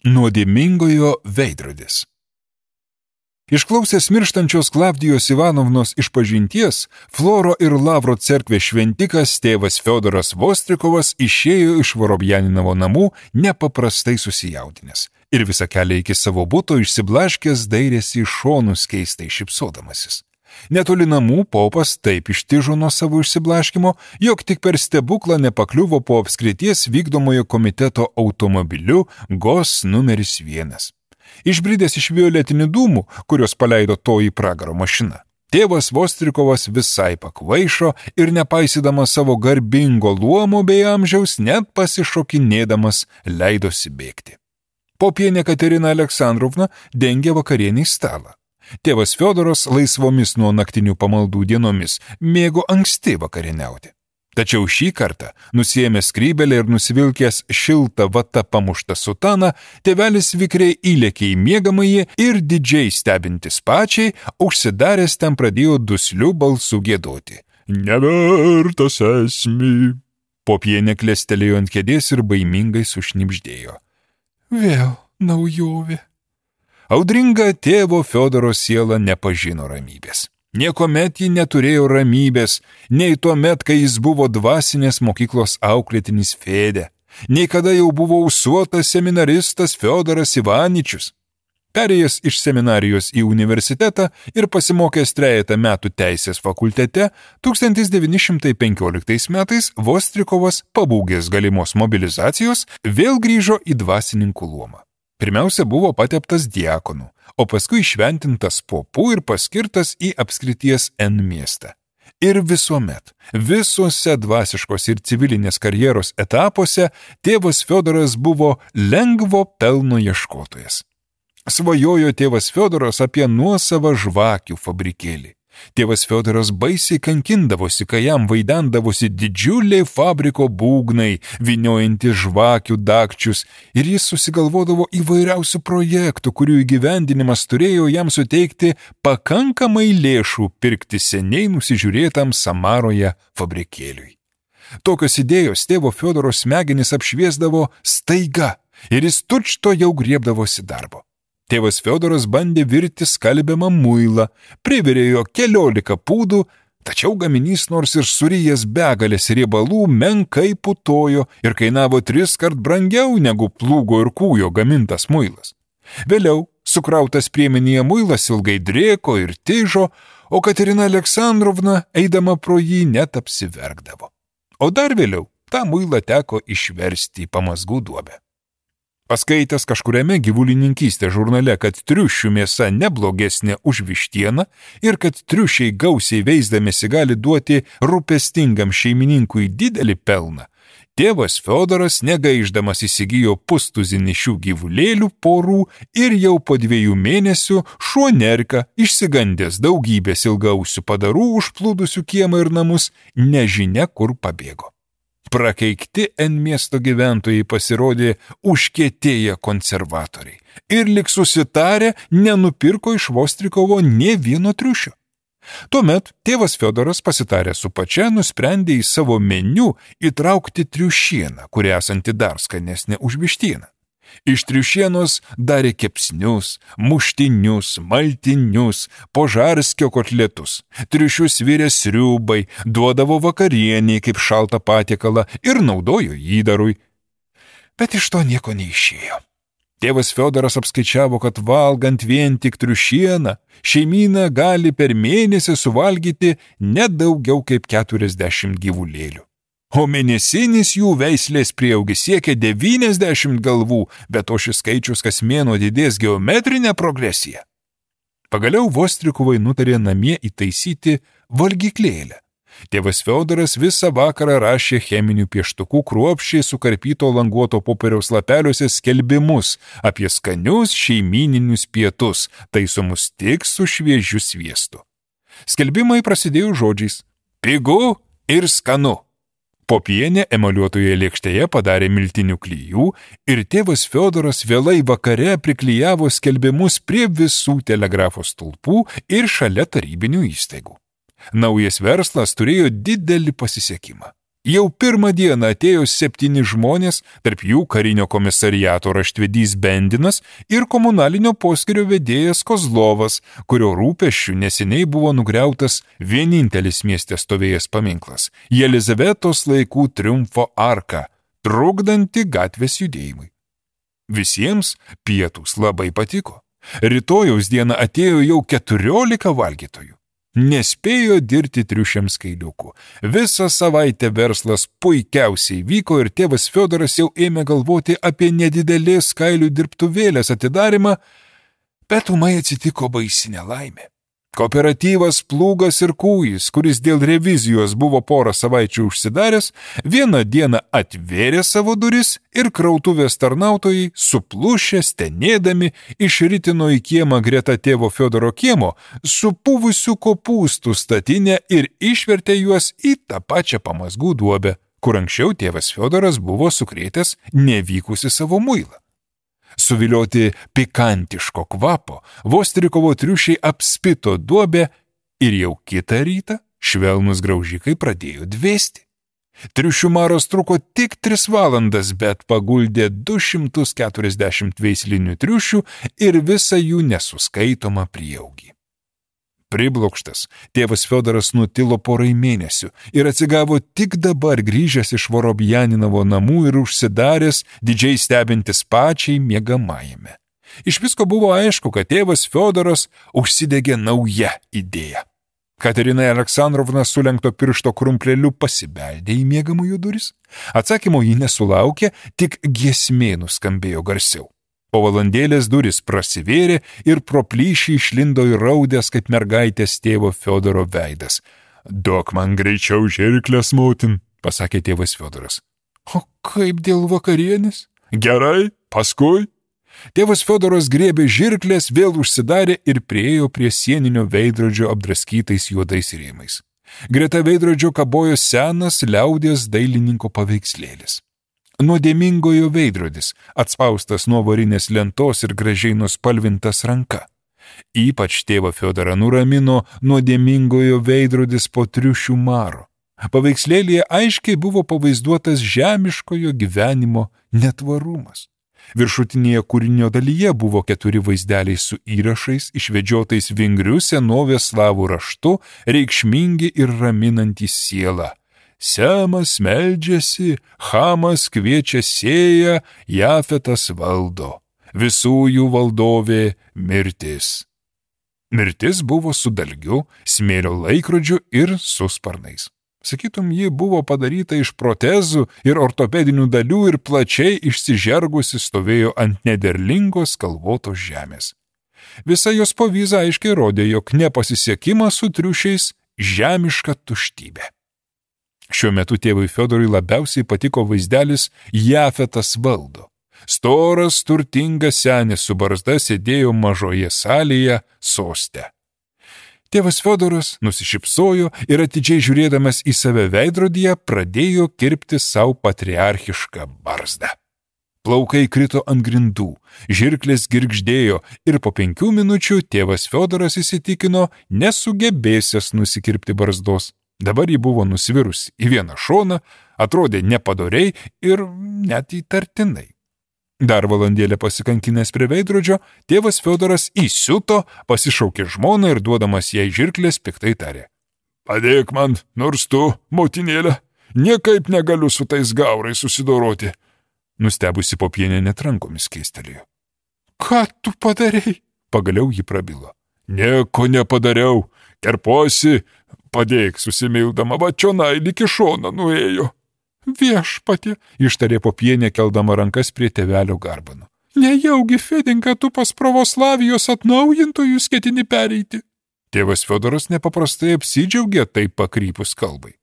Nuodėmingojo veidrodis. Išklausęs mirštančios Klavdijos Ivanovnos išpažinties, Floro ir Lavro cerkvės šventikas tėvas Fiodoras Vostrikovas išėjo iš Vorobjaninovo namų nepaprastai susijaudinęs ir visą kelią iki savo buto išsiblaškęs dairėsi į šonus keistai šypsodamasis. Netoli namų popas taip ištižo nuo savo išsiblaškimo, jog tik per stebuklą nepakliuvo po apskrities vykdomojo komiteto automobiliu GOS numeris 1. Išbridęs iš violetinių dūmų, kurios paleido toji pragaro mašina, tėvas Vostrikovas visai pakvaišo ir nepaisydamas savo garbingo luomo bei amžiaus, net pasišokinėdamas leidosi bėgti. Popienė Katerina Aleksandrovna dengė vakarienį stalą. Tėvas Fiodoras laisvomis nuo naktinių pamaldų dienomis mėgo anksti vakarieniauti. Tačiau šį kartą, nusiėmęs skrybelę ir nusivilkęs šiltą vata pamuštą sutaną, tėvelis vikriai įlėkė į miegamąjį ir didžiai stebintis pačiai, užsidaręs ten pradėjo dusliu balsu giedoti. Nevertas esmi. Popienė klestelėjo ant kėdės ir baimingai sušnibždėjo. Vėl naujovė. Audringa tėvo Fiodoro siela nepažino ramybės. Niekuomet ji neturėjo ramybės, nei tuomet, kai jis buvo dvasinės mokyklos auklėtinis Fėdė, nei kada jau buvo ūsuotas seminaristas Fiodoras Ivaničius. Perėjęs iš seminarijos į universitetą ir pasimokęs 3 metų teisės fakultete, 1915 metais Vostrikovas, pabūgęs galimos mobilizacijos, vėl grįžo į dvasininkų luomą. Pirmiausia buvo pateptas diakonu, o paskui šventintas popu ir paskirtas į apskrities N miestą. Ir visuomet, visuose dvasiškos ir civilinės karjeros etapuose tėvas Fiodoras buvo lengvo pelno ieškotojas. Svajojo tėvas Fiodoras apie nuosavą žvakių fabrikėlį. Tėvas Fiodoras baisiai kankindavosi, kai jam vaidendavosi didžiuliai fabriko būgnai, vyniojantys žvakių dakčius, ir jis susigalvodavo įvairiausių projektų, kurių įgyvendinimas turėjo jam suteikti pakankamai lėšų pirkti seniai nusižiūrėtam Samaroje fabrikėliui. Tokios idėjos tėvo Fiodoro smegenis apšviesdavo staiga, ir jis tučto jau griebdavosi darbo. Tėvas Fiodoras bandė virti skalbiamą muilą, privirėjo 14 pūdų, tačiau gaminys nors ir surijęs begalės riebalų menkai putojo ir kainavo 3 kart brangiau negu plūgo ir kūjo gamintas muilas. Vėliau sukrautas priemenyje muilas ilgai drėko ir tižo, o Katerina Aleksandrovna, eidama pro jį, net apsiverkdavo. O dar vėliau tą muilą teko išversti į pamazgų duobę. Paskaitęs kažkuriame gyvulininkystės žurnale, kad triušių mėsa neblogesnė už vištieną ir kad triušiai gausiai veisdamėsi gali duoti rūpestingam šeimininkui didelį pelną, tėvas Fiodoras negaiždamas įsigijo pustuzinį šių gyvulėlių porų ir jau po 2 mėnesių šuo Nerka, išsigandęs daugybės ilgausių padarų užplūdusių kiemą ir namus, nežinia kur pabėgo. Prakeikti N miesto gyventojai pasirodė užkietėję konservatoriai ir lik susitarę nenupirko iš Vostrikovo nė vieno triušio. Tuomet tėvas Fiodoras pasitarė su pačia nusprendė į savo meniu įtraukti triušieną, kuri esanti dar skanesnė už vištieną. Iš triušienos darė kepsnius, muštinius, maltinius, požarskio kotletus, triušius virė sriubai, duodavo vakarienį kaip šaltą patiekalą ir naudojo įdarui. Bet iš to nieko neišėjo. Tėvas Fiodoras apskaičiavo, kad valgant vien tik triušieną, šeimyna gali per mėnesį suvalgyti nedaugiau kaip 40 gyvulėlių. O mėnesinis jų veislės prieaugis siekia 90 galvų, bet o šis skaičius kas mėnuo didės geometrinę progresiją. Pagaliau Vostrikovai nutarė namie įtaisyti valgyklėlę. Tėvas Fiodoras visą vakarą rašė cheminių pieštukų kruopščiai sukarpyto languoto popieriaus lapeliuose skelbimus apie skanius šeimyninius pietus, taisomus tik su šviežiu sviestu. Skelbimai prasidėjo žodžiais pigu ir skanu. Popienė emaliuotoje lėkštėje padarė miltinių klijų ir tėvas Fiodoras vėlai vakare priklijavo skelbimus prie visų telegrafo stulpų ir šalia tarybinių įstaigų. Naujas verslas turėjo didelį pasisekimą. Jau pirmą dieną atėjo 7 žmonės, tarp jų karinio komisariato raštvedys Bendinas ir komunalinio poskyrio vedėjas Kozlovas, kurio rūpesčių neseniai buvo nugriautas vienintelis mieste stovėjęs paminklas – Jelizavetos laikų triumfo arka, trukdanti gatvės judėjimui. Visiems pietūs labai patiko. Rytojaus dieną atėjo jau 14 valgytojų. Nespėjo dirti triušiams kailiukų. Visą savaitę verslas puikiausiai vyko ir tėvas Fiodoras jau ėmė galvoti apie nedidelės kailių dirbtuvėlės atidarimą, bet ūmai atsitiko baisi nelaimė. Kooperatyvas Plūgas ir Kūjis, kuris dėl revizijos buvo porą savaičių užsidaręs, vieną dieną atvėrė savo duris ir krautuvės tarnautojai, suplušę, stenėdami, išritino į kiemą greta tėvo Fiodoro kiemo supuvusių kopūstų statinę ir išvertė juos į tą pačią pamazgų duobę, kur anksčiau tėvas Fiodoras buvo sukrėtęs nevykusi savo muilą. Suvilioti pikantiško kvapo, Vostrikovo triušiai apspito duobę ir jau kitą rytą švelnus graužikai pradėjo dvėsti. Triušių maras truko tik 3 valandas, bet paguldė 240 veislinių triušių ir visą jų nesuskaitomą prieaugį. Priblokštas, tėvas Fiodoras nutilo porai mėnesių ir atsigavo tik dabar grįžęs iš Vorobjaninovo namų ir užsidaręs, didžiai stebintis pačiai miegamajame. Iš visko buvo aišku, kad tėvas Fiodoras užsidegė naują idėją. Katerina Aleksandrovna sulenkto piršto krumpleliu pasibeldė į miegamųjų duris. Atsakymo ji nesulaukė, tik giesmė nuskambėjo garsiau. Po valandėlės duris prasivėrė ir pro plyšį išlindo įraudęs kaip mergaitės tėvo Fiodoro veidas. Duok man greičiau žirkles, motin, pasakė tėvas Fiodoras. O kaip dėl vakarienės? Gerai, paskui. Tėvas Fiodoras griebė žirklės, vėl užsidarė ir priėjo prie sieninio veidrodžio apdraskytais juodais rėmais. Greta veidrodžio kabojo senas liaudies dailininko paveikslėlis. Nuodėmingojo veidrodis, atspaustas nuo varinės lentos ir gražiai nuspalvintas ranka. Ypač tėvą Fiodorą nuramino nuodėmingojo veidrodis po triušių maro. Paveikslėlyje aiškiai buvo pavaizduotas žemiškojo gyvenimo netvarumas. Viršutinėje kūrinio dalyje buvo 4 vaizdeliai su įrašais, išvedžiotais vingriu senovės slavų raštu, reikšmingi ir raminantys sielą. Semas meldžiasi, Chamas kviečia sėją, Jafetas valdo. Visų jų valdovė mirtis. Mirtis buvo su dalgiu, smėlio laikrodžiu ir su sparnais. Sakytum, ji buvo padaryta iš protezų ir ortopedinių dalių ir plačiai išsižergusi stovėjo ant nederlingos kalvotos žemės. Visa jos povyza aiškiai rodė, jog nepasisekimas su triušiais žemiška tuštybė. Šiuo metu tėvui Fiodorui labiausiai patiko vaizdelis Jafetas valdo. Storas, turtingas senis su barzda sėdėjo mažoje salėje soste. Tėvas Fiodoras nusišypsojo ir atidžiai žiūrėdamas į save veidrodyje pradėjo kirpti savo patriarchišką barzdą. Plaukai krito ant grindų, žirklės girgždėjo ir po 5 minučių tėvas Fiodoras įsitikino nesugebėsęs nusikirpti barzdos. Dabar ji buvo nusvirus į vieną šoną, atrodė nepadoriai ir net įtartinai. Dar valandėlę pasikankinęs prie veidrodžio, tėvas Fiodoras įsiuto, pasišaukė žmoną ir duodamas jai žirklės piktai tarė. Padėk man, nors tu, motinėlė, niekaip negaliu su tais gaurais susidoroti. Nustebusi Popienė net rankomis keistelėjo. Ką tu padarei? Pagaliau ji prabilo. Nieko nepadariau, kerposi, padėk susimildama, va čionai lyg į šoną nuėjo. Viešpatie, ištarė Popienė keldama rankas prie tėvelio garbanų. Nejaugi, Fedinka, tu pas pravoslavijos atnaujintojus ketini pereiti. Tėvas Fiodoras nepaprastai apsidžiaugė taip pakrypus kalbai.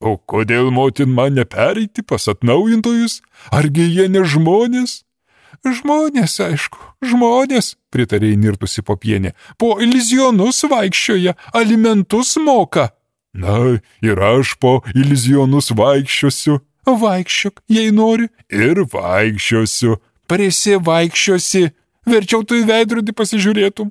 O kodėl, motin, man nepereiti pas atnaujintojus? Argi jie ne žmonės? Žmonės, aišku, žmonės, pritarė įnirtusi Popienė. Po ilizionus vaikščioja, alimentus moka. Na, ir aš po ilizionus vaikščiosiu. Vaikščiok, jei nori. Ir vaikščiosiu. Prisivaikščiosi. Verčiau tu į veidrodį pasižiūrėtum.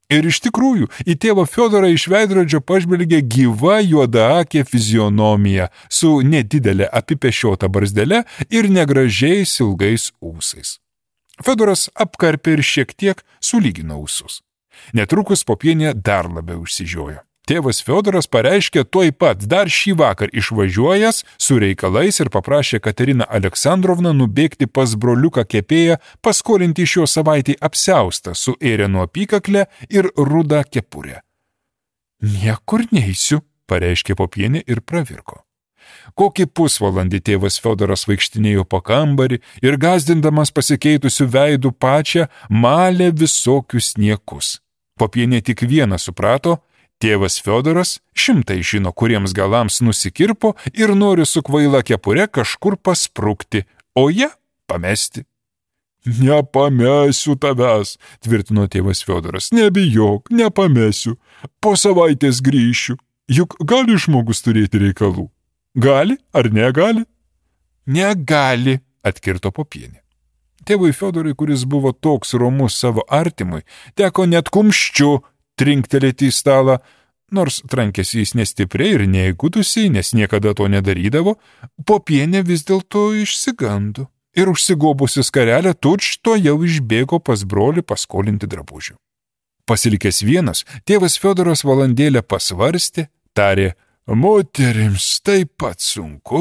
Ir iš tikrųjų, į tėvą Fiodorą iš veidrodžio pažvelgė gyva juodaakė fizionomija su nedidelė apipešiota barzdele ir negražiais ilgais ūsais. Fiodoras apkarpė ir šiek tiek sulygino ūsus. Netrukus Popienė dar labiau užsižiojo. Tėvas Fiodoras pareiškė tuoj pat dar šį vakar išvažiuojas su reikalais ir paprašė Kateriną Aleksandrovną nubėgti pas broliuką kepėją, paskolinti iš jo savaitį apsiaustą su ėrieno apykakle ir rudą kepurę. Niekur neisiu, pareiškė Popienė ir pravirko. Kokį pusvalandį tėvas Fiodoras vaikštinėjo po kambarį ir gazdindamas pasikeitusių veidų pačią malė visokius niekus. Popienė tik vieną suprato, tėvas Fiodoras 100 žino, kuriems galams nusikirpo ir nori su kvaila kepure kažkur pasprukti, o ją pamesti. Nepamesiu tavęs, tvirtino tėvas Fiodoras, nebijok, nepamesiu, po savaitės grįšiu, juk gali žmogus turėti reikalų. Gali ar negali? Negali, atkirto Popienė. Tėvui Fiodorui, kuris buvo toks romus savo artimui, teko net kumščiu trinktelėti į stalą, nors trankėsi jis nestipriai ir neįgudusiai, nes niekada to nedarydavo, Popienė vis dėlto išsigando ir užsigobusi skarelę tučto jau išbėgo pas brolį paskolinti drabužių. Pasilikęs vienas, tėvas Fiodoras valandėlę pasvarstė, tarė, moterims taip pat sunku,